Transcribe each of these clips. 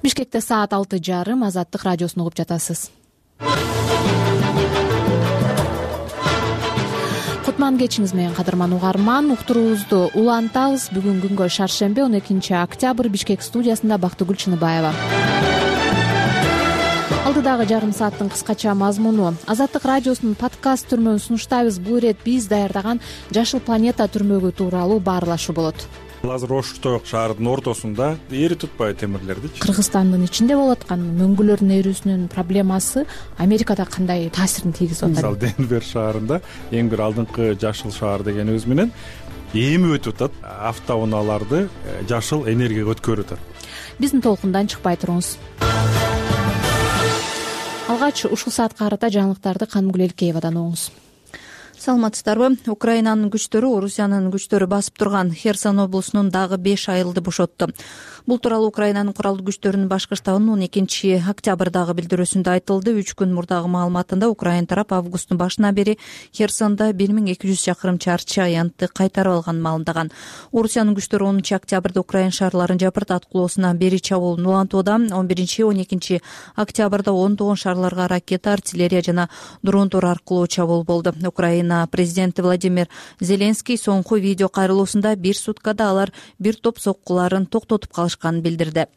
Бишкекте саат 6:30. Азаттык радиосун угуп жатасыз. Кутман кечиңиз менен кадырман угарман. Уктуруубузду улантабыз. Бүгүн күнгө шаршемби 12 октябрь. Бишкек студиясында Бактыгүл Чыныбаева. Алдыдагы жарым сааттын кыскача мазмуну. Азаттык радиосунун подкаст түрмөгүн сунуштайбыз. Бул ирет биз даярдаган Жашыл планета түрмөгү тууралуу баарлашуу болот. Азыр Ош-Тоек шаарынын ортосунда эри тутпай темирлердичи. Кыргызстандын ичинде болуп аткан мөңгүлөрдүн эрүүсүнүн проблемасы Америкада кандай таасирин тийгизип атат? Мисалы Денвер шаарында эң бир алдыңкы жашыл шаар дегенибиз менен эми өтүп атат. Автоунааларды жашыл энергияга өткөрүп атат. Биздин толкундан чыкпай туруңуз. Алгач ушул саатка карата жаңылыктарды Канымгүл Элкеевадан угуңуз. Саламатсыздарбы? Украинанын күчтөрү Орусиянын күчтөрү басып турган Херсон облусунун дагы 5 айылды бошотту. Бул тууралуу Украинанын куралдуу күчтөрүнүн башкы штабынын 12 октябрдагы билдирүүсүндө айтылды. 3 күн мурдагы маалыматында Украина тарап августтун башынан бери Херсонда 1200 чакырым чарчы аянтты кайтарып алганын маалымдаган. Орусиянын күчтөрү 10 октябрда Украина шаарларын жапырт аткылоосунан бери чабуулун улантууда. 11-12 октябрда ондогон шаарларга ракета, артиллерия жана дрондор аркылуу чабуул болду. Украина президенти Владимир Зеленский соңку видео кайрылуусунда бир суткада алар бир топ соккуларын токтотуп калышканын билдирди.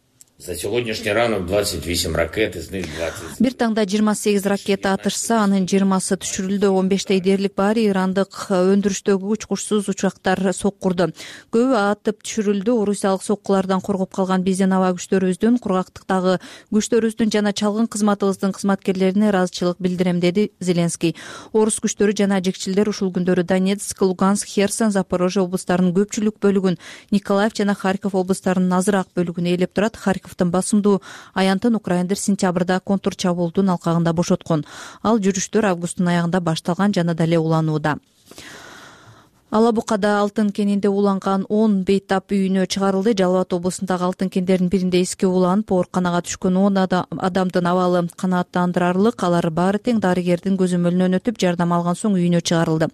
За сегодняшний ранок 28 ракет, из них 20. Бир таңда 28 ракета атышса, анын 20-сы түшүрүлдү. 15 дээрлик баары ирандык өндүрүштөгү учкучсуз учактар соккурду. Көбү атып түшүрүлдү. Орусиялык соккулардан коргоп калган биздин аба күчтөрүбүздүн, кургактыктагы күчтөрүбүздүн жана чалгын кызматыбыздын кызматкерлерине ыраазычылык билдирем, деди Зеленский. Орус күчтөрү жана жекчилдер ушул күндөрү Донецк, Луганск, Херсон, Запорожье облустарынын көпчүлүк бөлүгүн, Николаев жана Харьков облустарынын азыраак бөлүгүн ээлеп турат. Басымдуу аянтын украиндер сентябрда контур чабуулдун алкагында бошоткон. Ал жүрүштөр августтун аягында башталган жана дале уланууда. Ала Букада алтын кенинде уланган 10 бейтап үйүнө чыгарылды. Жалал Абад облусундагы алтын кендердин биринде эске уланып, ооруканага түшкөн 10 адамдын абалы канааттандырарлык. Алар баары тең дарыгердин көзөмөлүнөн өтүп, жардам алган соң үйүнө чыгарылды.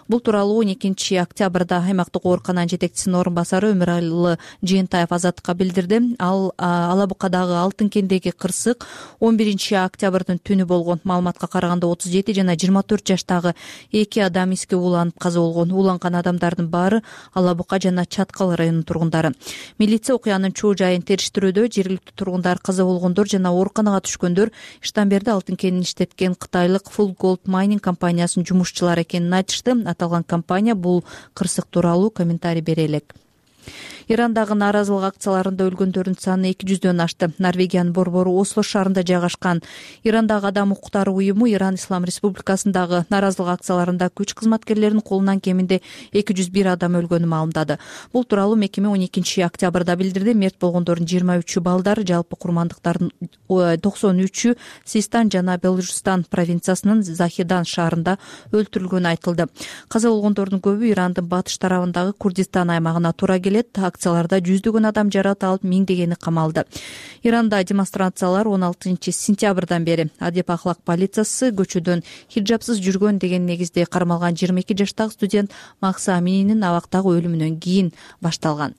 Бул тууралуу 12 октябрда аймактык оорукананын жетекчисинин орун басары Өмүралы Жыйынтаев Азаттыкка билдирди. Ал Ала Букадагы алтын кендеги кырсык 11 октябрдын түнү болгон. Маалыматка караганда 37 жана 24 жаштагы 2 адам эске уланып каза болгон. Уланган адамдардын баары Ала Бука жана Чаткал районунун тургундары. Милиция окуянын чоо жайын териштирүүдө. Жергиликтүү тургундар каза болгондор жана ооруканага түшкөндөр иштен берди алтын кенин иштеткен кытайлык Full Gold Mining компаниясынын жумушчулары экенин айтышты. Аталган компания бул кырсык тууралуу комментарий бере элек. Ирандагы нааразылык акцияларында өлгөндөрдүн саны 200дөн ашты. Норвегиянын борбору Осло шаарында жайгашкан Ирандагы адам укуктары уюму Иран Ислам Республикасындагы нааразылык акцияларында күч кызматкерлеринин колунан кеминде 201 адам өлгөнүн маалымдады. Бул тууралуу мекеме 12 октябрда билдирди. Мерт болгондордун 23-ү балдар, жалпы курмандыктардын 93-ү Систан жана Белужистан провинциясынын Захидан шаарында өлтүрүлгөнү айтылды. Каза болгондордун көбү Ирандын батыш тарабындагы Курдистан аймагына туура келет. Акцияларда жүздөгөн адам жаракат алып, миңдегени камалды. Иранда демонстрациялар 16 сентябрдан бери. Адеп ахлак полициясы көчөдөн хиджабсыз жүргөн деген негизде кармалган 22 жаштагы студент Макса Амининин абактагы өлүмүнөн кийин башталган.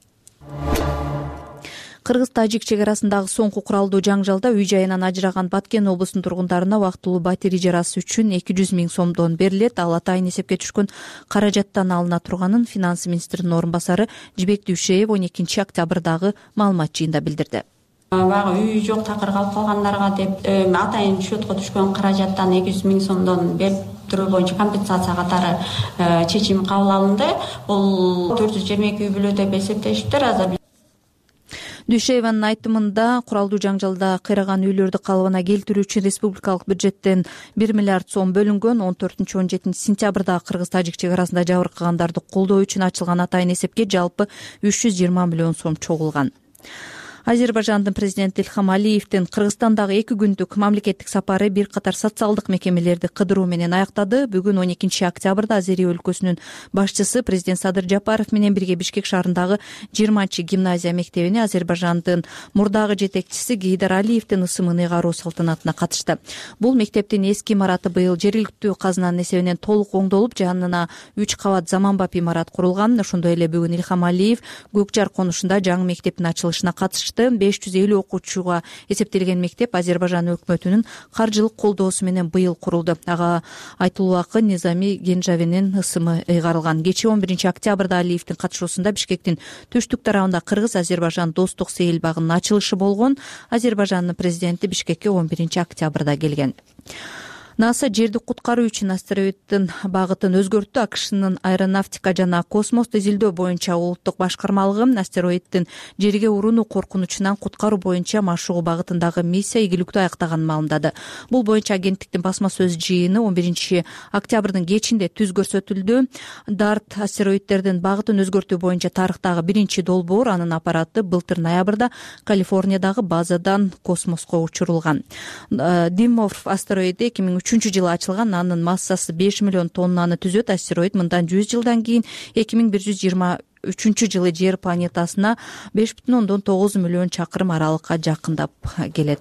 Кыргыз-Тажик чек арасындагы соңку куралдуу жаңжалда үй жайынан ажыраган Баткен облусунун тургундарына убактылуу батир ижарасы үчүн 200 000 сомдон берилет. Ал атайын эсепке түшкөн каражаттан алына турганын финанс министринин орун басары Жибек Дүйшеев 12 октябрдагы маалымат жыйында билдирди. Баягы үй жок, такыр калып калгандарга деп атайын счетко түшкөн каражаттан 200 000 сомдон берип туруу боюнча компенсация катары чечим кабыл алынды. Бул 422 үй бүлө деп эсептешиптир. Азыр Дүйшееванын айтымында куралдуу жаңжалда кыйраган үйлөрдү калыбына келтирүү үчүн республикалык бюджеттен 1 миллиард сом бөлүнгөн. 14-17 сентябрдагы Кыргыз-Тажик чек арасында жабыркагандарды колдоо үчүн ачылган атайын эсепке жалпы 320 миллион сом чогулган. Азербайжандын президенти Ильхам Алиевдин Кыргызстандагы 2 күндүк мамлекеттик сапары бир катар социалдык мекемелерди кыдыруу менен аяктады. Бүгүн 12 октябрда Азери өлкөсүнүн башчысы президент Садыр Жапаров менен бирге Бишкек шаарындагы 20-гимназия мектебине Азербайжандын мурдагы жетекчиси Гейдар Алиевдин ысымын ыйгаруу салтанатына катышты. Бул мектептин эски имараты быйыл жергиликтүү казынанын эсебинен толук оңдолуп, жанына 3 кабат заманбап имарат курулган. Ошондой эле бүгүн Ильхам Алиев Көкжар конушунда жаңы мектептин ачылышына катышты. ашты. 550 окуучуга эсептелген мектеп Азербайжан өкмөтүнүн каржылык колдоосу менен быйыл курулду. Ага Айтулуу акын Низами Генжавенин ысымы ыйгарылган. Кечээ 11 октябрда Алиевдин катышуусунда Бишкектин түштүк тарабында Кыргыз-Азербайжан достук сейил багынын ачылышы болгон. Азербайжандын президенти Бишкекке 11 октябрда келген. НАСА жерди куткаруу үчүн астероиддин багытын өзгөрттү. АКШнын аэронавтика жана космосту изилдөө боюнча улуттук башкармалыгы астероиддин жерге урууну коркунучунан куткаруу боюнча машыгуу багытындагы миссия ийгиликтүү аяктаганын маалымдады. Бул боюнча агенттиктин басма сөз жыйыны 11 октябрдын кечинде түз көрсөтүлдү. DART астероиддердин багытын өзгөртүү боюнча тарыхтагы биринчи долбоор, анын аппараты былтыр ноябрда Калифорниядагы базадан космоско учурулган. Димморф астероиди 2003-жылы ачылган. Анын массасы 5 миллион тоннаны түзөт. Астероид мындан 100 жылдан кийин 2123-жылы Жер планетасына 5,9 миллион чакырым аралыкка жакындап келет.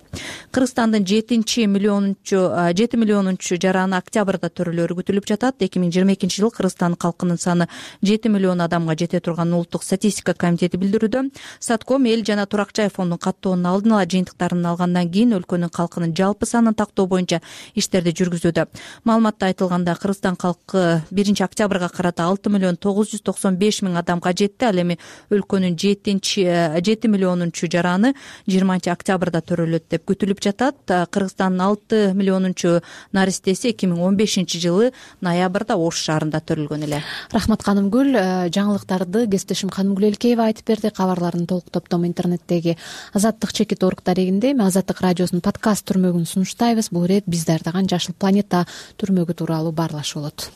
Кыргызстандын 7 миллионунчу жараны октябрда төрөлөрү күтүлүп жатат. 2022-жылы Кыргызстандын калкынын саны 7 миллион адамга жете турганын Улуттук статистика комитети билдирүүдө. Сатком эл жана турак жай фондунун каттоонун алдын ала жыйынтыктарын алгандан кийин өлкөнүн калкынын жалпы санын тактоо боюнча иштерди жүргүзүүдө. Маалыматта айтылганда Кыргызстан калкы 1 октябрга карата 6 миллион 995 миң адамга жетти. Ал эми өлкөнүн 7 миллионунчу жараны 20 октябрда төрөлөт деп күтүлүп жатат. Кыргызстандын 6 миллионунчу наристеси 2015-жылы ноябрда Ош шаарында төрөлгөн эле. Рахмат Канымгүл. Жаңылыктарды кесиптешим Канымгүл Элкеева айтып берди. Кабарлардын толук топтому интернеттеги Азаттык чекит орг дарегинде Азаттык радиосунун подкаст түрмөгүн сунуштайбыз. Бул ирет биз даярдаган Жашыл планета түрмөгү тууралуу баарлашуу болот.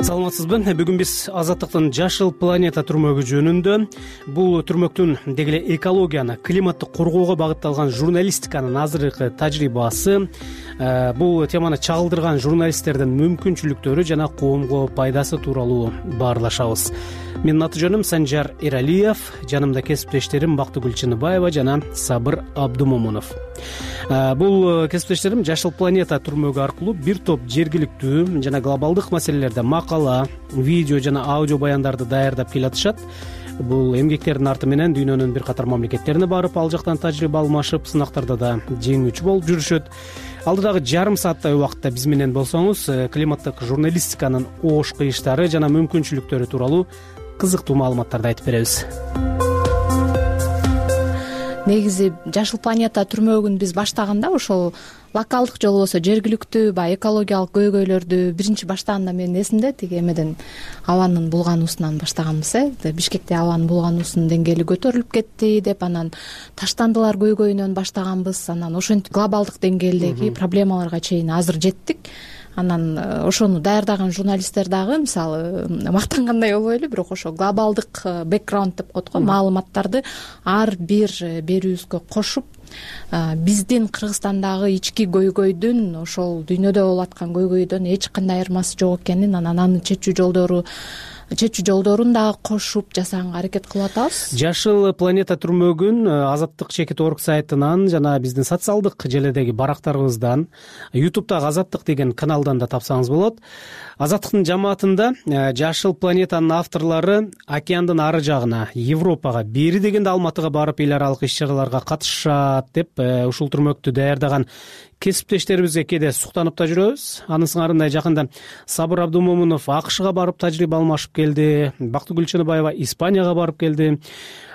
Саламатсызбы? Бүгүн биз Азаттыктын Жашыл планета түрмөгү жөнүндө, бул түрмөктүн дегеле экологияны, климатты коргоого багытталган журналистиканын азыркы тажрыйбасы, бул теманы чагылдырган журналисттердин мүмкүнчүлүктөрү жана коомго пайдасы тууралуу баарлашабыз. Менин аты жөнүм Санжар Эралиев, жанымда кесиптештерим Бактыгүл Чыныбаева жана Сабыр Абдумомунов. Бул кесиптештерим Жашыл планета түрмөгү аркылуу бир топ жергиликтүү жана глобалдык маселелерде макала, видео жана аудио баяндарды даярдап келатышат. Бул эмгектердин арты менен дүйнөнүн бир катар мамлекеттерине барып, ал жактан тажрыйба алмашып, сынактарда да жеңүүчү болуп жүрүшөт. Алдыдагы жарым сааттай убакытта биз менен болсоңуз, климаттык журналистиканын оош кыйыштары жана мүмкүнчүлүктөрү тууралуу кызыктуу маалыматтарды айтып беребиз. Негизи Жашыл планета түрмөгүн биз баштаганда ошол локалдык же болбосо жергиликтүү баягы экологиялык көйгөйлөрдү биринчи баштаганда менин эсимде тиги эмеден абанын булгануусунан баштаганбыз. Бишкекте абанын булгануусунун деңгээли көтөрүлүп кетти деп, анан таштандылар көйгөйүнөн баштаганбыз. Анан ошентип глобалдык деңгээлдеги проблемаларга чейин азыр жеттик. Анан ошону даярдаган журналисттер дагы мисалы мактангандай болбойлу, бирок ошо глобалдык бэкграунд деп коет го, маалыматтарды ар бир берүүбүзгө кошуп, биздин Кыргызстандагы ички көйгөйдүн ошол дүйнөдө болуп аткан көйгөйдөн эч кандай айырмасы жок экенин, анан анын чечүү жолдорун дагы кошуп жасаганга аракет кылып атабыз. Жашыл планета түрмөгүн Азаттык чекит орг сайтынан жана биздин социалдык желедеги барактарыбыздан, YouTube'дагы Азаттык деген каналдан да тапсаңыз болот. Азаттыктын жамаатында Жашыл планетанын авторлору океандын ары жагына, Европага, бери дегенде Алматыга барып эл аралык иш-чараларга катышат деп, ушул түрмөктү даярдаган кесиптештерибизге кээде суктанып да жүрөбүз. Анын сыңарындай жакында Сабыр Абдумомунов АКШга барып тажрыйба алмашып келди, Бактыгүл Чыныбаева Испанияга барып келди.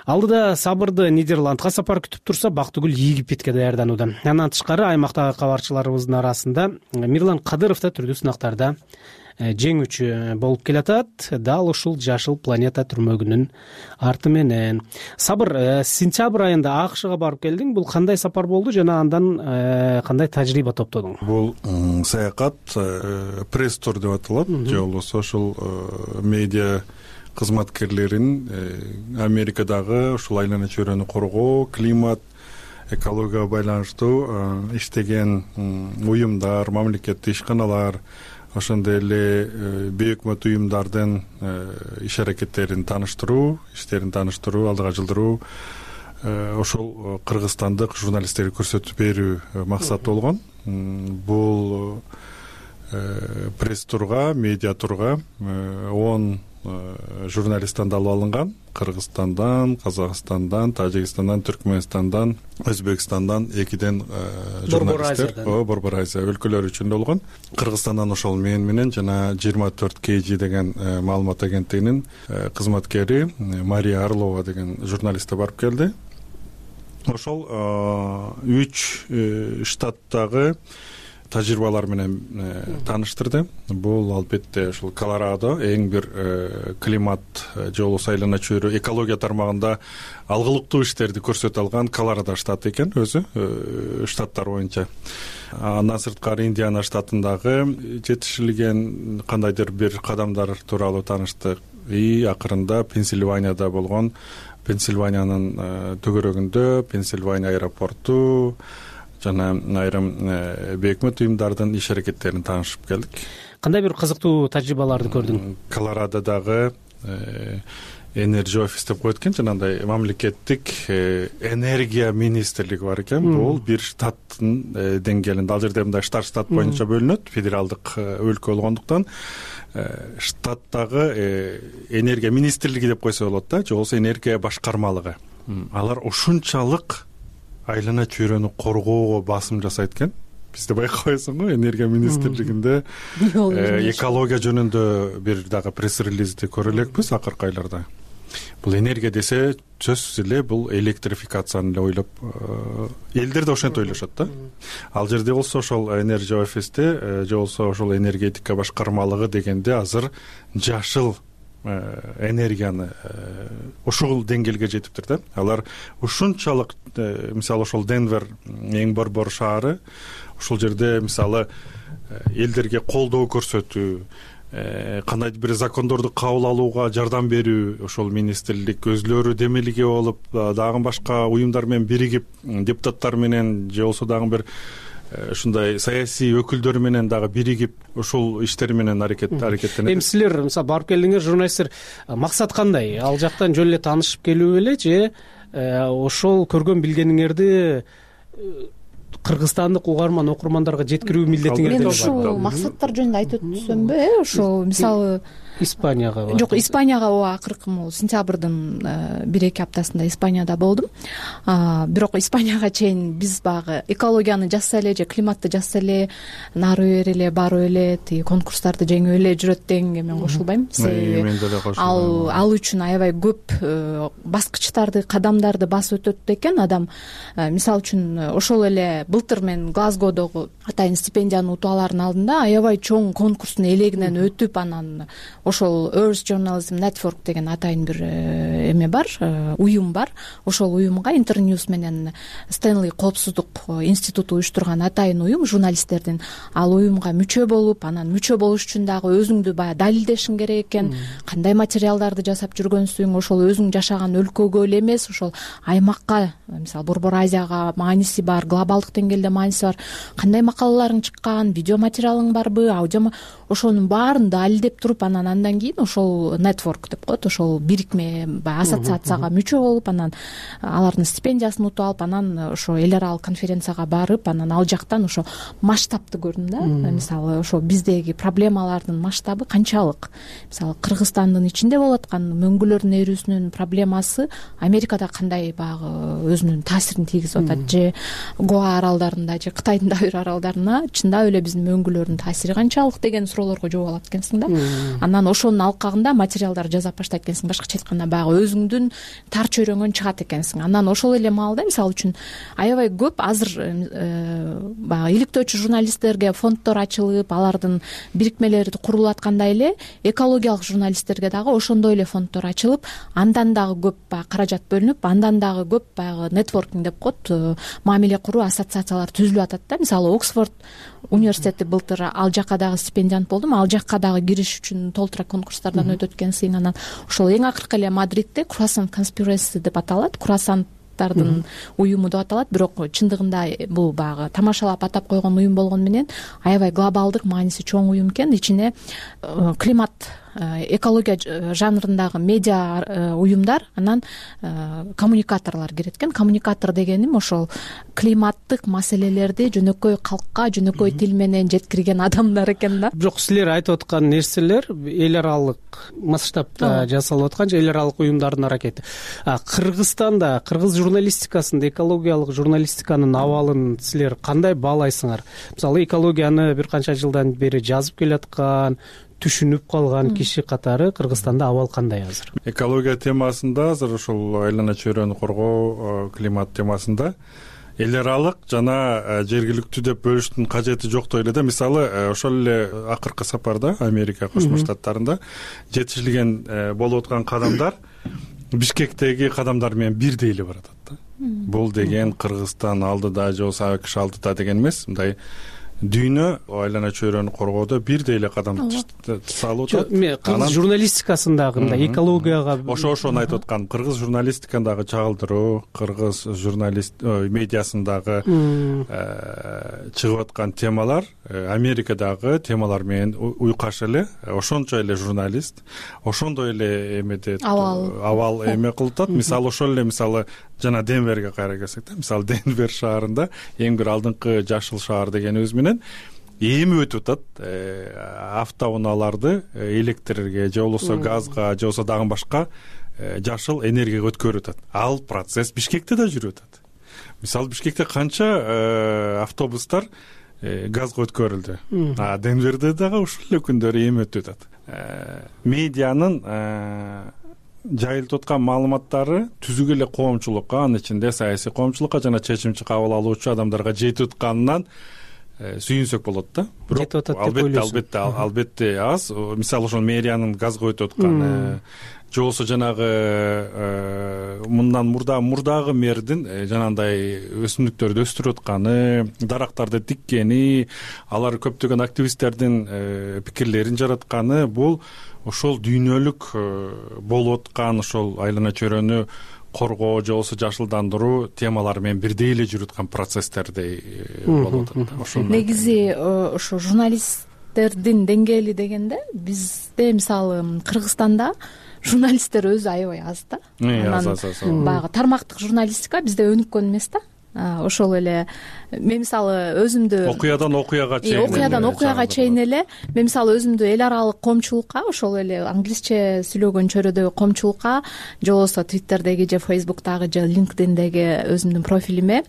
Алдыда Сабырды Нидерландга сапар күтүп турса, Бактыгүл Египетке даярданууда. Андан тышкары аймактагы кабарчыларыбыздын арасында Мирлан Кадыров да түрдүү сынактарда жеңүүчү болуп келатат. Дал ушул Жашыл планета түрмөгүнүн арты менен. Сабыр, сентябрь айында АКШга барып келдиң. Бул кандай сапар болду жана андан кандай тажрыйба топтодуң? Бул саякат пресс-тур деп аталат, же болбосо ошол медиа кызматкерлерин Америкадагы ушул айлана чөйрөнү коргоо, климат, экологияга байланыштуу иштеген уюмдар, мамлекеттик ишканалар, ошондой эле бейөкмөт уюмдардын иш-аракеттерин тааныштыруу, иштерин тааныштыруу, алдыга жылдыруу, ошол кыргызстандык журналисттерге көрсөтүп берүү максат болгон. Бул пресс турга, медиа турга 10 журналисттен алып алынган. Кыргызстандан, Казакстандан, Тажикстандан, Түркмөнстандан, Өзбекстандан 2 журналисттер Борбор Азия өлкөлөрү үчүн болгон. Кыргызстандан ошол мен менен жана 24 KG деген маалымат агенттигинин кызматкери Мария Орлова деген журналисттер барып келди. Ошол 3 штаттагы тажрыйбалар менен тааныштырды. Бул албетте ушул Колорадо эң бир климат же болбосо айлана чөйрө экология тармагында алгылыктуу иштерди көрсөтө алган Колорадо штаты экен өзү штаттар боюнча. Андан сырткары Индиана штатындагы жетишилген кандайдыр бир кадамдар тууралуу тааныштык. Акырында Пенсильванияда болгон, Пенсильваниянын төгөрөгүндө Пенсильвания аэропорту жана айрым бейөкмөт уюмдардын иш аракеттерин таанышып келдик. Кандай бир кызыктуу тажрыйбаларды көрдүң? Колорадодагы Energy Office деп коет экен, жанагындай мамлекеттик энергия министрлиги бар экен. Бул бир штаттын деңгээлинде, ал жерде мындай штат боюнча бөлүнөт, федералдык өлкө болгондуктан штаттагы энергия министрлиги деп койсо болот да, же болбосо энергия башкармалыгы. Алар ушунчалык айлана чөйрөнү коргоого басым жасайт экен. Бизде байкабайсың го, энергия министрлигинде экология жөнүндө бир дагы пресс-релизди көрө элекпиз акыркы айларда. Бул энергия десе сөзсүз эле бул электрификацияны эле ойлоп, элдер да ошентип ойлошот да. Ал жерде болсо ошол Energy Office'те же болсо ошол энергетика башкармалыгы дегенде азыр жашыл энергияны ушул деңгээлге жетиптир да. Алар ушунчалык, мисалы ошол Денвер эң борбор шаары, ушул жерде мисалы элдерге колдоо көрсөтүү, кандайдыр бир закондорду кабыл алууга жардам берүү, ошол министрлик өзлөрү демилге болуп, дагы башка уюмдар менен биригип, депутаттар менен же болсо дагы бир ушундай саясий өкүлдөр менен дагы биригип ушул иштер менен аракеттенет. Эми силер мисалы барып келдиңер, журналисттер, максат кандай? Ал жактан жөн эле таанышып келүү беле же ошол көргөн билгениңерди кыргызстандык угарман окурмандарга жеткирүү милдетиңер? Мен ушул максаттар жөнүндө айтып өтсөмбү, ошол мисалы Испанияга. Жок, Испанияга акыркы сентябрдын 1-2 аптасында Испанияда болдум. Бирок Испанияга чейин биз багы экологияны жазса эле же климатты жазса эле нары бере эле, барып эле тиги конкурстарды жеңип эле жүрөт дегенге мен кошулбайм. Себеби ал үчүн аябай көп баскычтарды, кадамдарды басып өтөт экен адам. Мисалы үчүн ошол эле былтыр мен Глазгодогу атайын стипендияны утуп алардын алдында аябай чоң конкурстун элегинен өтүп, анан ошол Earth Journalism Network деген атайын бир эме бар, уюм бар. Ошол уюмга Интерньюз менен Стэнли коопсуздук институту уюштурган атайын уюм журналисттердин. Ал уюмга мүчө болуп, анан мүчө болуш үчүн дагы өзүңдү баягы далилдешиң керек экен. Кандай материалдарды жасап жүргөнсүң, ошол өзүң жашаган өлкөгө эле эмес, ошол аймакка, мисалы Борбор Азияга мааниси бар, глобалдык деңгээлде мааниси бар. Кандай макалаларың чыккан, видео материалың барбы, аудио, ошонун баарын далилдеп туруп, андан кийин ошол network деп коет, ошол бирикме, ассоциацияга мүчө болуп, анан алардын стипендиясын утуп алып, анан ошо эл аралык конференцияга барып, анан ал жактан ошо масштабты көрдүм да. Мисалы ошо биздеги проблемалардын масштабы канчалык. Мисалы Кыргызстандын ичинде болуп аткан мөңгүлөрдүн эрүүсүнүн проблемасы Америкада кандай багы өзүнүн таасирин тийгизип атат, же Гоа аралдарында, же Кытайдын да бир аралдарына чындап эле биздин мөңгүлөрдүн таасири канчалык деген суроолорго жооп алат экенсиң да. Анан ошонун алкагында материалдар жазап баштайт экенсиң. Башкача айтканда баягы өзүңдүн тар чөйрөңөн чыгат экенсиң. Анан ошол эле маалда мисалы үчүн аябай көп азыр баягы иликтөөчү журналисттерге фонддор ачылып, алардын бирикмелери курулуп аткандай эле экологиялык журналисттерге дагы ошондой эле фонддор ачылып, андан дагы көп баягы каражат бөлүнүп, андан дагы көп баягы нетворкинг деп коет, мамиле куруу ассоциациялар түзүлүп атат да. Мисалы Оксфорд университети былтыр ал жакка дагы стипендиант болдум, ал жакка дагы кириш үчүн толтура конкурстардан өтөт экенсиң. Анан ошол эң акыркы эле Мадридте Croissant Conspiracy деп аталат, круассанттардын уюму деп аталат, бирок чындыгында бул баягы тамашалап атап койгон уюм болгону менен аябай глобалдык мааниси чоң уюм экен. Ичине климат экология жанрындагы медиа уюмдар, анан коммуникаторлор кирет экен. Коммуникатор дегеним ошол климаттык маселелерди жөнөкөй калкка жөнөкөй тил менен жеткирген адамдар экен да. Бирок силер айтып аткан нерселер эл аралык масштабта жасалып аткан же эл аралык уюмдардын аракети. Кыргызстанда, кыргыз журналистикасында экологиялык журналистиканын абалын силер кандай баалайсыңар? Мисалы экологияны бир канча жылдан бери жазып келаткан, түшүнүп калган киши катары Кыргызстанда абал кандай азыр? Экология темасында азыр ошол айлана чөйрөнү коргоо, климат темасында эл аралык жана жергиликтүү деп бөлүштүн кажети жок дейли да. Мисалы ошол эле акыркы сапарда Америка Кошмо Штаттарында жетишилген болуп аткан кадамдар Бишкектеги кадамдар менен бирдей эле баратат да. Бул деген Кыргызстан алдыда же болбосо АКШ алдыда деген эмес, мындай дүйнө айлана чөйрөнү коргоодо бирдей эле кадам салып атат. Кыргыз журналистикасындагы мындай экологияга ошону айтып аткан. Кыргыз журналистикандагы чагылдыруу, кыргыз медиасындагы чыгып аткан темалар Америкадагы темалар менен уйкаш эле. Ошончо эле журналист, ошондой эле эмеде абал эме кылып атат. Мисалы ошол эле жана Денверге кайра келсек да, мисалы Денвер шаарында эң бир алдыңкы жашыл шаар дегенибиз менен эми өтүп атат автоунааларды электрге же болбосо газга же болбосо дагы башка жашыл энергияга өткөрүп атат. Ал процесс Бишкекте да жүрүп атат. Мисалы Бишкекте канча автобустар газга өткөрүлдү. Денверде дагы ушул эле күндөрү эми өтүп атат. Медианын жайылтып аткан маалыматтары түзүк эле коомчулукка, анын ичинде саясий коомчулукка жана чечим кабыл алуучу адамдарга жетип атканынан сүйүнсөк болот да. Жетип атат деп ойлойсуң? Албетте аз. Мисалы ошол мэриянын газга өтүп атканы же болбосо жанагы мындан мурдагы мэрдин жанагындай өсүмдүктөрдү өстүрүп атканы, дарактарды тиккени, алар көптөгөн активисттердин пикирлерин жаратканы, бул ошол дүйнөлүк болуп аткан ошол айлана чөйрөнү коргоо же болбосо жашылдандыруу темалары менен бирдей эле жүрүп аткан процесстердей болуп атат. Негизи ошо журналисттердин деңгээли дегенде бизде мисалы Кыргызстанда журналисттер өзү аябай аз да. Аз. Баягы тармактык журналистика бизде өнүккөн эмес да. Ошол эле мен мисалы өзүмдү окуядан окуяга чейин эле мен мисалы өзүмдү эл аралык коомчулукка, ошол эле англисче сүйлөгөн чөйрөдөгү коомчулукка же болбосо Twitterдеги же Facebook'тагы же LinkedIn'деги өзүмдүн профилиме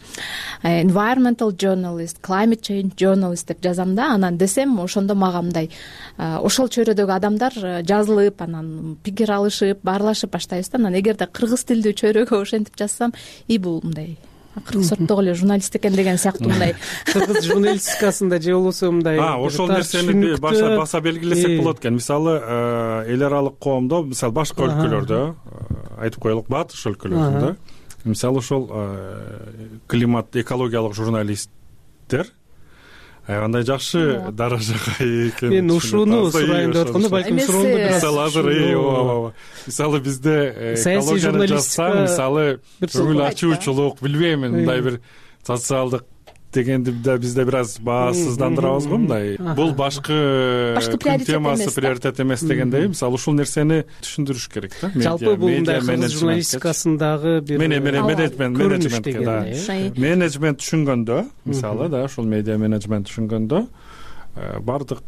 environmental journalist, climate change journalist деп жазам да. Анан десем ошондо мага мындай ошол чөйрөдөгү адамдар жазылып, анан пикир алышып, баарлашып баштайбыз да. Анан эгерде кыргыз тилдүү чөйрөгө ошентип жазсам, бул мындай кыргыз сорттогу эле журналист экен деген сыяктуу мындай кыргыз журналистикасында же болбосо мындай ошол нерсени баса белгилесек болот экен. Мисалы эл аралык коомдо, мисалы башка өлкөлөрдө айтып коелук, батыш өлкөлөрүндө мисалы ошол климат экологиялык журналисттер аябай жакшы даражага экен. Мен ушуну сурайын деп атканда, балким суроону мисалы азыр мисалы бизде саясий журналистика, мисалы көңүл ачуучулук, билбейм, мындай бир социалдык дегенди бизде бир аз баасыздандырабыз го мындай. Бул башкы темасы приоритет эмес дегендей, мисалы ушул нерсени түшүндүрүш керек да. Жалпы бул мындай кыргыз журналистикасындагы бир менеджмент түшүнгөндө, мисалы да ошол медиа менеджмент түшүнгөндө бардык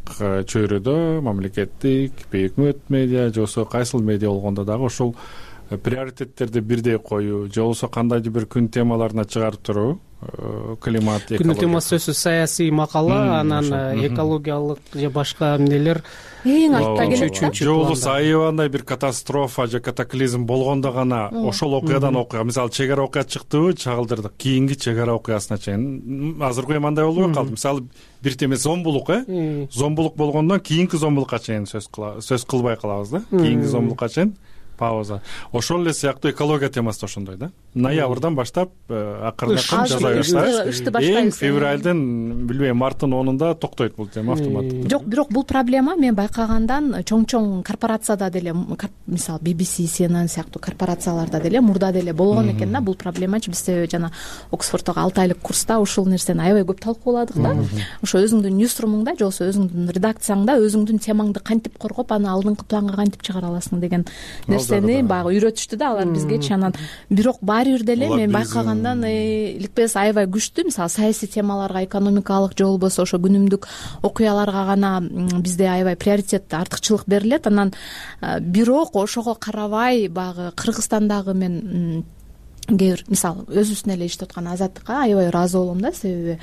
чөйрөдө мамлекеттик, бейөкмөт медиа же болбосо кайсыл медиа болгондо дагы ошол приоритеттерди бирдей коюу же болбосо кандайдыр бир күн темаларына чыгарып туруу, климат, экология. Күн темасы сөзсүз саясий макала, анан экологиялык же башка эмнелер эң артта келет. Же болбосо аябандай бир катастрофа же катаклизм болгондо гана ошол окуядан окуя, мисалы чек ара окуя чыктыбы, чагылдырдык, кийинки чек ара окуясына чейин. Азыркы мындай болбой калды. Мисалы бир теме зомбулук, зомбулук болгондон кийинки зомбулукка чейин сөз кылбай калабыз да. Кийинки зомбулукка чейин пауза. Ошол эле сыяктуу экология темасы да ошондой да. ноябрдан баштап акырын жаза ышты баштайбыз. Эң февралдын билбейм марттын 10-унда токтойт бул тема автоматтуу. Жок, бирок бул проблема мен байкагандан чоң корпорацияда деле, мисалы BBC, CNN сыяктуу корпорацияларда деле мурда деле болгон экен да бул проблемачы. Биз жана Оксфорддогу 6 айлык курста ушул нерсени аябай көп талкууладык да. Ошо өзүңдүн ньюсрумуңда же болбосо өзүңдүн редакцияңда өзүңдүн темаңды кантип коргоп, аны алдыңкы планга кантип чыгара аласың деген нерсени баягы үйрөтүштү да алар бизгечи. Анан бирок баары бир деле мен байкагандан иликпес аябай күчтүү. Мисалы саясий темаларга, экономикалык же болбосо ошо күнүмдүк окуяларга гана бизде аябай приоритет, артыкчылык берилет. Анан бирок ошого карабай баягы Кыргызстандагы мен кээ бир мисалы өзүбүздүн эле иштеп аткан Азаттыкка аябай ыраазы болом да. Себеби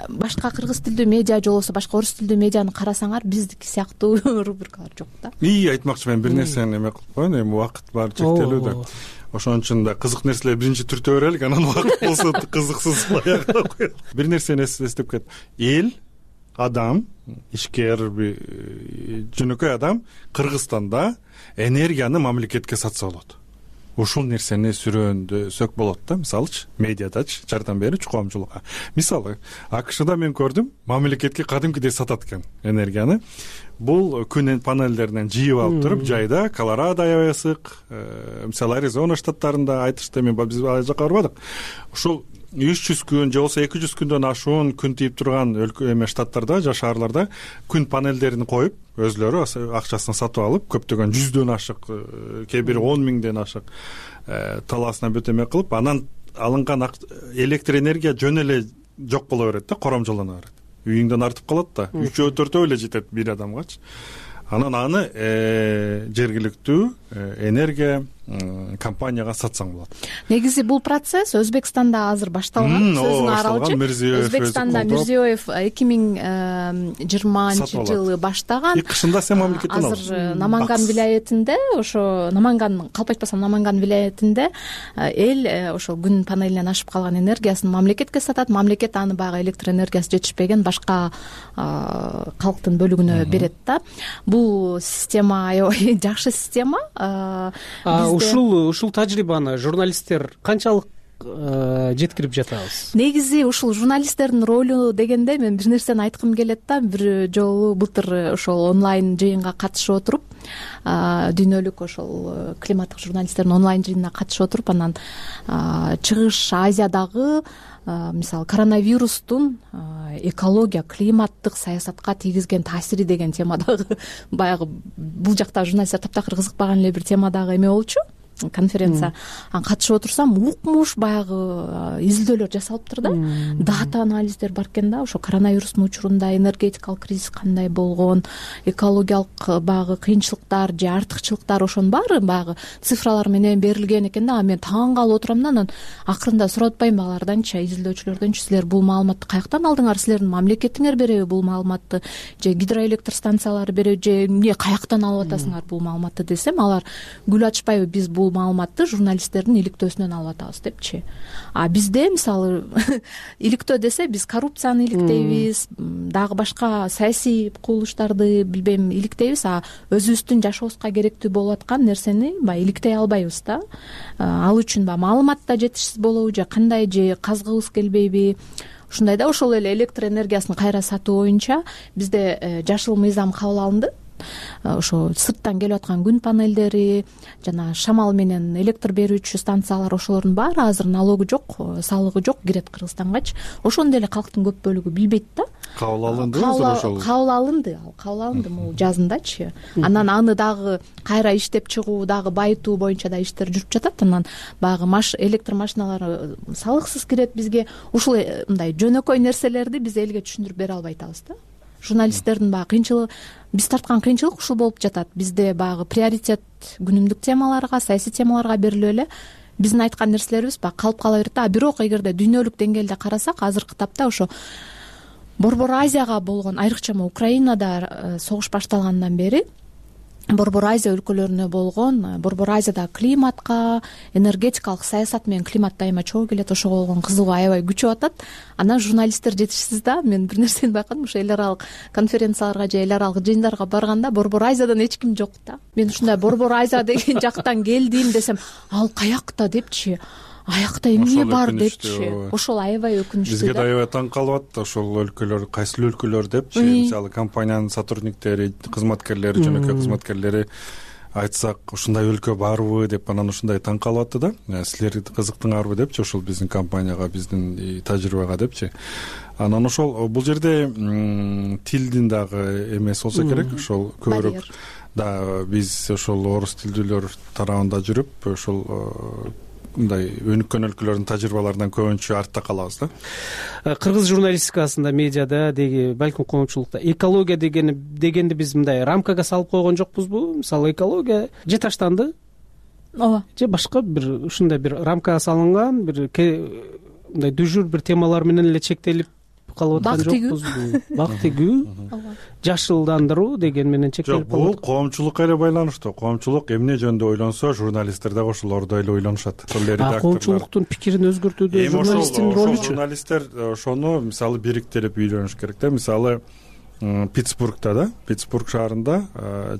башка кыргыз тилдүү медиа же болбосо башка орус тилдүү медианы карасаңар биздики сыяктуу рубрикалар жок да. Айтмакчымын, бир нерсени эме кылып коеюн, эми убакыт баары чектелүү да. Ошон үчүн да кызык нерселер биринчи түртө берелик, анан убакыт болсо кызыксыз аягына коелук. Бир нерсени эстеп кет. Эл адам, ишкер, жөнөкөй адам Кыргызстанда энергияны мамлекетке сатса болот. Ушул нерсени сүрөндөсөк болот да, мисалычы медиадачы жардам берүүчү коомчулукка. Мисалы АКШда мен көрдүм, мамлекетке кадимкидей сатат экен энергияны. Бул күн панелдеринен жыйып алып туруп, жайда Колорадо аябай ысык, мисалы Аризона штаттарында айтышты, мен биз ал жака барбадык. Ушул 300 күн же болбосо 200 күндөн ашуун күн тийип турган штаттарда же шаарларда күн панелдерин коюп, өзлөрү акчасын сатып алып, көптөгөн 100дөн ашык, кээ бири 10 миңден ашык талаасына бөтөмө кылып, анан алынган электр энергия жөн эле жок боло берет да, коромжолоно берет. Үйүңдөн артып калат да, 3-4 эле жетет бир адамгачы. Анан аны жергиликтүү энергия компанияга сатсаң болот. Негизи бул процесс Өзбекстанда азыр башталган. Сөзүң аралчы. Өзбекстанда Мирзиёев 2020 жылы баштаган. Кышында сен мамлекеттен алдың. Азыр Наманган вилаятында, ошо Наманган, калп айтпасам Наманган вилаятында эл ошо күн панелинен ашып калган энергиясын мамлекетке сатат. Мамлекет аны баягы электр энергиясы жетишпеген башка калктын бөлүгүнө берет да. Бул система аябай жакшы система. Ушул тажрыйбаны журналисттер канчалык жеткирип жатабыз? Негизи ушул журналисттердин ролу дегенде мен бир нерсени айткым келет да. Бир жолу былтыр ошол онлайн жыйынга катышып отуруп, дүйнөлүк ошол климаттык журналисттердин онлайн жыйынына катышып отуруп, анан Чыгыш Азиядагы мисалы коронавирустун экология, климаттык саясатка тийгизген таасири деген темадагы баягы бул жакта журналисттер таптакыр кызыкпаган эле бир темадагы эме болчу, конференция. Катышып отурсам, укмуш баягы изилдөөлөр жасалыптыр да. Дата анализдер бар экен да, ошо коронавирустун учурунда энергетикалык кризис кандай болгон, экологиялык баягы кыйынчылыктар же артыкчылыктар, ошонун баары баягы цифралар менен берилген экен да. Мен таң калып отурам да, анан акырында сурап атпаймынбы аларданчы, изилдөөчүлөрдөнчү, силер бул маалыматты каяктан алдыңар, силердин мамлекетиңер береби бул маалыматты, же гидроэлектр станциялары береби, же эмне каяктан алып атасыңар бул маалыматты десем, алар гүл ачпайбы, биз бул маалыматты журналисттердин иликтөөсүнөн алып атабыз депчи. Бизде мисалы иликтөө десе биз коррупцияны иликтейбиз, дагы башка саясий кубулуштарды билбейм иликтейбиз, өзүбүздүн жашообузга керектүү болуп аткан нерсени баягы иликтей албайбыз да. Ал үчүн баягы маалымат да жетишсиз болобу, же кандай, же казгыбыз келбейби, ушундай да. Ошол эле электр энергиясын кайра сатуу боюнча бизде жашыл мыйзам кабыл алынды. Ошо сырттан келип аткан күн панелдери жана шамал менен электр берүүчү станциялар, ошолордун баары азыр налогу жок, салыгы жок, кирет Кыргызстангачы. Ошону деле калктын көп бөлүгү билбейт да. Кабыл алынды ошол. Кабыл алынды могу жазындачы. Анан аны дагы кайра иштеп чыгуу, дагы байытуу боюнча да иштер жүрүп жатат. Анан баягы электр машиналары салыксыз кирет бизге. Ушул мындай жөнөкөй нерселерди биз элге түшүндүрүп бере албай атабыз да. Журналисттердин баягы кыйынчылыгы, биз тарткан кыйынчылык ушул болуп жатат. Бизде баягы приоритет күнүмдүк темаларга, саясий темаларга берилип эле биздин айткан нерселерибиз баягы калып кала берет да. Бирок эгерде дүйнөлүк деңгээлде карасак, азыркы тапта ошо Борбор Азияга болгон, айрыкча Украинада согуш башталгандан бери Борбор Азия өлкөлөрүнө болгон, Борбор Азияда климатка, энергетикалык саясат менен климат дайыма чогуу келет, ошого болгон кызыгуу аябай күчөп атат. Анан журналисттер жетишсиз да. Мен бир нерсени байкадым, ошо эл аралык конференцияларга же эл аралык жыйындарга барганда Борбор Азиядан эч ким жок да. Мен ушундай Борбор Азия деген жактан келдим десем, ал каякта депчи. аякта эмне бар депчи, ошол аябай өкүнүчтүү. Бизге да аябай таң калып атты ошол өлкөлөр, кайсыл өлкөлөр депчи. Мисалы компаниянын сотрудниктери, кызматкерлери, жөнөкөй кызматкерлери айтсак ушундай өлкө барбы деп анан ушундай таң калып атты да. Силер кызыктыңарбы депчи, ошол биздин компанияга, биздин тажрыйбага депчи. Анан ошол бул жерде тилдин дагы эмеси болсо керек, ошол көбүрөөк да биз ошол орус тилдүүлөр тарабында жүрүп ошол мындай өнүккөн өлкөлөрдүн тажрыйбаларынан көбүнчө артта калабыз да. Кыргыз журналистикасында, медиада деги, балким коомчулукта экология дегенди биз мындай рамкага салып койгон жокпузбу? Мисалы экология же таштанды, ооба, же башка бир ушундай бир рамкага салынган бир мындай дүжүр бир темалар менен эле чектелип калып аткан жокпузбу? Бак тигүү, жашылдандыруу деген менен чектелип калып. Бул коомчулукка эле байланыштуу. Коомчулук эмне жөнүндө ойлонсо, журналисттер дагы ошолордой эле ойлонушат. Ошол эле редакторлор. Коомчулуктун пикирин өзгөртүүдө журналисттин ролучу? Журналисттер ошону мисалы бириктирип үйлөнүш керек да. Мисалы Питтсбургда да, Питтсбург шаарында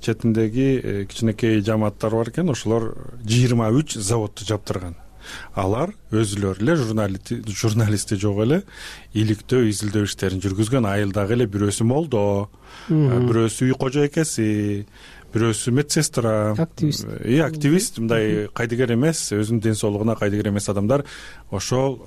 четиндеги кичинекей жамааттар бар экен, ошолор 23 заводду жаптырган. Алар өзүлөрү эле журналисти жок эле иликтөө, изилдөө иштерин жүргүзгөн. Айылдагы эле бирөөсү молдо, бирөөсү үй кожойкеси, бирөөсү медсестра, активист, мындай кайдыгер эмес, өзүнүн ден соолугуна кайдыгер эмес адамдар ошол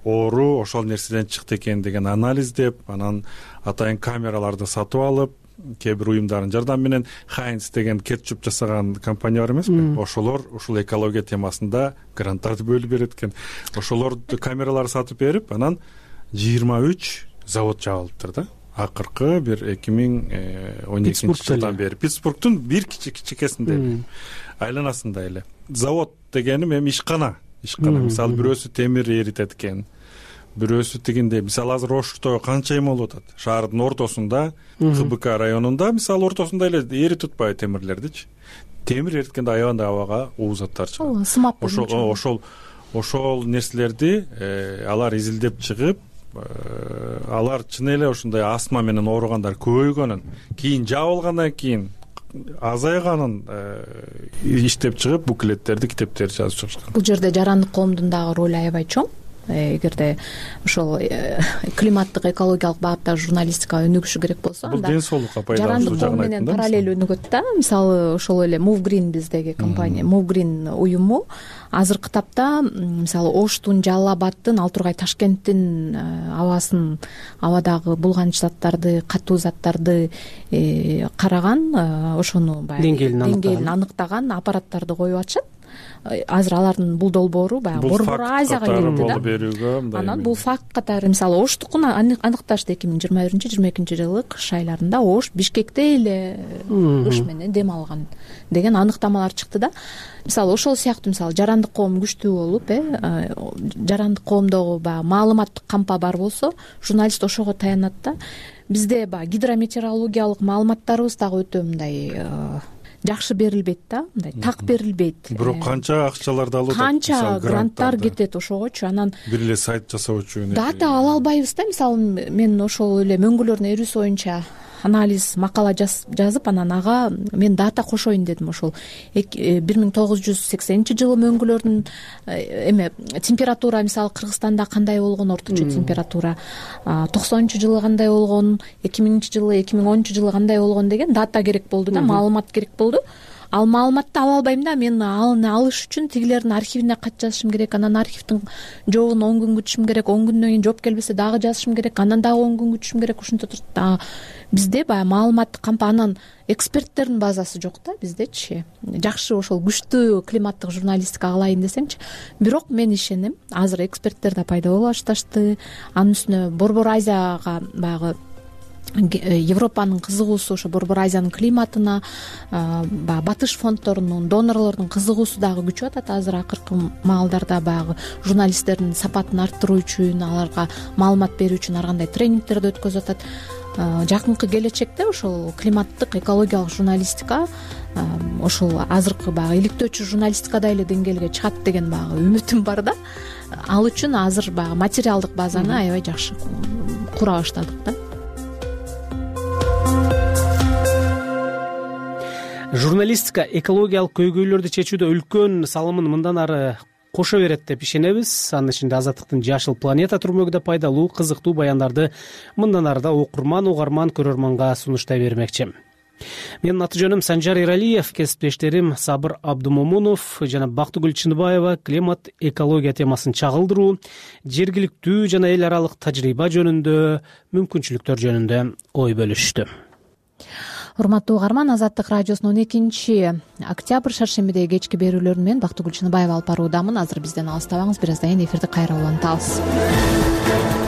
оору ошол нерседен чыкты экен деген анализдеп, анан атайын камераларды сатып алып, кээ бир уюмдардын жардамы менен Хайнс деген кетчуп жасаган компания бар эмеспи? Ошолор ушул экология темасында гранттарды бөлүп берет экен. Ошолор камераларды сатып берип, анан 23 завод жабылыптыр да. Акыркы бир 2012 жылдан бери Питтсбургдун бир кичикесинде айланасында эле. Завод дегеним эми ишкана. Мисалы бирөөсү темир эритет экен. Бирөөсү тигинде, мисалы азыр Ошто канча эме болуп атат? Шаардын ортосунда, КБК районунда, мисалы ортосунда эле эритип атпайбы темирлердичи? Темир эриткенде аябагандай абага уу заттар чыгат. Сымап ошол нерселерди алар изилдеп чыгып, алар чын эле ушундай астма менен ооругандар көбөйгөнүн, кийин жабылгандан кийин азайганын иштеп чыгып, буклеттерди, китептерди жазып чыгышкан. Бул жерде жарандык коомдун дагы ролу аябай чоң. Эгерде ошол климаттык, экологиялык багыттагы журналистикага өнүгүшү керек болсо, бул ден соолукка пайдалуу жарандык коом менен параллель өнүгөт да. Мисалы ошол эле Move Green биздеги компания, Move Green уюму азыркы тапта мисалы Оштун, Жалал Абадтын, ал тургай Ташкенттин абадагы булганыч заттарды, катуу заттарды караган, ошону баягы деңгээлин аныктаган аппараттарды коюп атышат. Азыр алардын бул долбоору баягы Борбор Азияга келди да. Анан бул факт катары мисалы Оштукун аныкташты 2021-22 жылы кыш айларында Ош Бишкекте эле кыш менен дем алган деген аныктамалар чыкты да. Мисалы ошол сыяктуу мисалы жарандык коом күчтүү болуп, жарандык коомдогу баягы маалыматтык кампа бар болсо, журналист ошого таянат да. Бизде баягы гидрометеорологиялык маалыматтарыбыз дагы өтө мындай жакшы берилбейт да, мындай так берилбейт. Бирок канча акчаларды алып атат, канча гранттар кетет ошогочу. Анан бир эле сайт жасоочу дата ала албайбыз да. Мисалы мен ошол эле мөңгүлөрдүн эрүүсү боюнча анализ, макала жазып, анан ага мен дата кошоюн дедим. Ошол 1980 жылы мөңгүлөрдүн температура, мисалы Кыргызстанда кандай болгон орточо температура, 90-жылы кандай болгон, 2000-жылы, 2010-жылы кандай болгон деген дата керек болду да, маалымат керек болду. Ал маалыматты ала албайм да, мен аны алыш үчүн тигилердин архивине кат жазышым керек, анан архивдин жообун 10 күн күтүшүм керек, 10 күндөн кийин жооп келбесе дагы жазышым керек, анан дагы 10 күн күтүшүм керек. Ушинте турат. Бизде баягы маалыматтык кампа, анан эксперттердин базасы жок да биздечи. Жакшы ошол күчтүү климаттык журналистика кылайын десеңчи. Бирок мен ишенем, азыр эксперттер да пайда боло башташты. Анын үстүнө Борбор Азияга баягы Европанын кызыгуусу, ошо Борбор Азиянын климатына, баягы батыш фонддорунун, донорлордун кызыгуусу дагы күчүп атат. Азыр акыркы маалдарда баягы журналисттердин сапатын арттыруу үчүн, аларга маалымат берүү үчүн ар кандай тренингтерди өткөзүп атат. Жакынкы келечекте ошол климаттык, экологиялык журналистика ошол азыркы баягы иликтөөчү журналистикадай эле деңгээлге чыгат деген баягы үмүтүм бар да. Ал үчүн азыр баягы материалдык базаны аябай жакшы кура баштадык да. Журналистика экологиялык көйгөйлөрдү чечүүдө үлкөн салымын мындан ары кошо берет деп ишенебиз. Анын ичинде Азаттыктын Жашыл планета түрмөгү да пайдалуу, кызыктуу баяндарды мындан ары да окурман, угарман, көрөрманга сунуштай бермекчи. Менин аты жөнүм Санжар Эралиев, кесиптештерим Сабыр Абдумомунов жана Бактыгүл Чыныбаева климат, экология темасын чагылдыруу, жергиликтүү жана эл аралык тажрыйба жөнүндө, мүмкүнчүлүктөр жөнүндө ой бөлүштү. Урматтуу угарман, Азаттык радиосунун 2-октябрь шаршембидеги кечки берүүлөрүн мен Бактыгүл Чыныбаева алып баруудамын. Азыр бизден алыстабаңыз, бир аздан кийин эфирди кайра улантабыз.